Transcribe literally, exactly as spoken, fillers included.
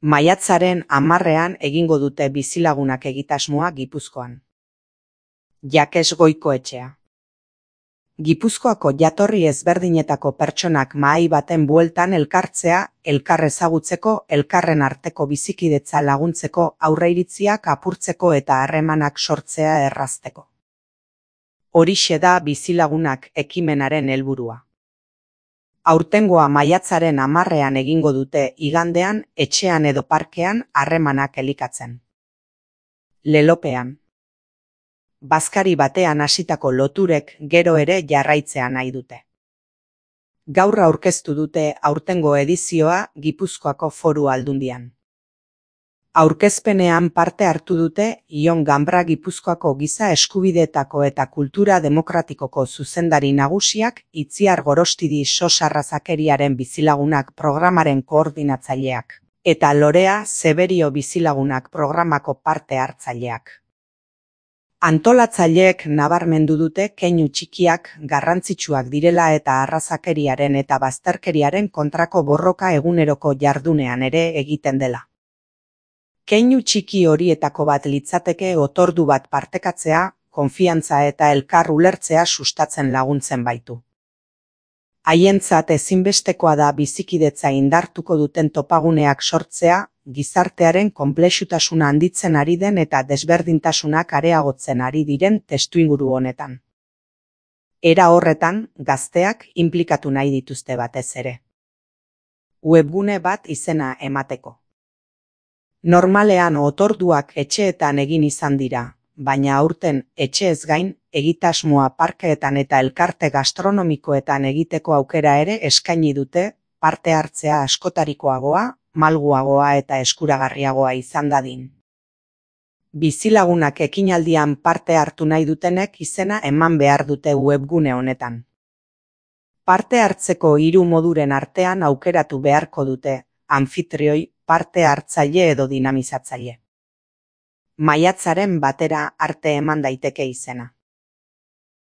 Maiatzaren hamarrean egingo dute bizilagunak egitasmoa Gipuzkoan. Jakes Goikoetxea. Gipuzkoako jatorri ezberdinetako pertsonak mahai baten bueltan elkartzea, elkar ezagutzeko, elkarren arteko bizikidetza laguntzeko, aurreiritziak apurtzeko eta harremanak sortzea errazteko. Horixe da bizilagunak ekimenaren helburua. Aurtengoa maiatzaren hamarrean egingo dute igandean, etxean edo parkean harremanak elikatzen. Lelopean. Bazkari batean hasitako loturek gero ere jarraitzea nahi dute. Gaur aurkeztu dute aurtengo edizioa Gipuzkoako Foru Aldundian. Aurkezpenean parte hartu dute Ion Ganbra Gipuzkoako Giza Eskubideetako eta Kultura Demokratikoko zuzendari nagusiak, Itziar Gorostidi Sos Arrazakeriaren Bizilagunak programaren koordinatzaileak, eta Lorea Zeberio Bizilagunak programako parte hartzaileak. Antolatzaileek nabarmendu dute keinu txikiak garrantzitsuak direla eta arrazakeriaren eta bazterkeriaren kontrako borroka eguneroko jardunean ere egiten dela. Keinu txiki horietako bat litzateke otordu bat partekatzea, konfiantza eta elkar ulertzea sustatzen laguntzen baitu. Haientzat ezinbestekoa da bizikidetza indartuko duten topaguneak sortzea, gizartearen konplexutasuna handitzen ari den eta desberdintasunak areagotzen ari diren testuinguru honetan. Era horretan, gazteak inplikatu nahi dituzte batez ere. Webgune bat izena emateko. Normalean otorduak etxeetan egin izan dira, baina aurten etxeez gain, egitasmoa parkeetan eta elkarte gastronomikoetan egiteko aukera ere eskaini dute, parte hartzea askotarikoagoa, malguagoa eta eskuragarriagoa izan dadin. Bizilagunak ekinaldian parte hartu nahi dutenek izena eman behar dute webgune honetan. Parte hartzeko hiru moduren artean aukeratu beharko dute, anfitrioi, parte hartzaile edo dinamizatzaile. Maiatzaren batera arte eman daiteke izena.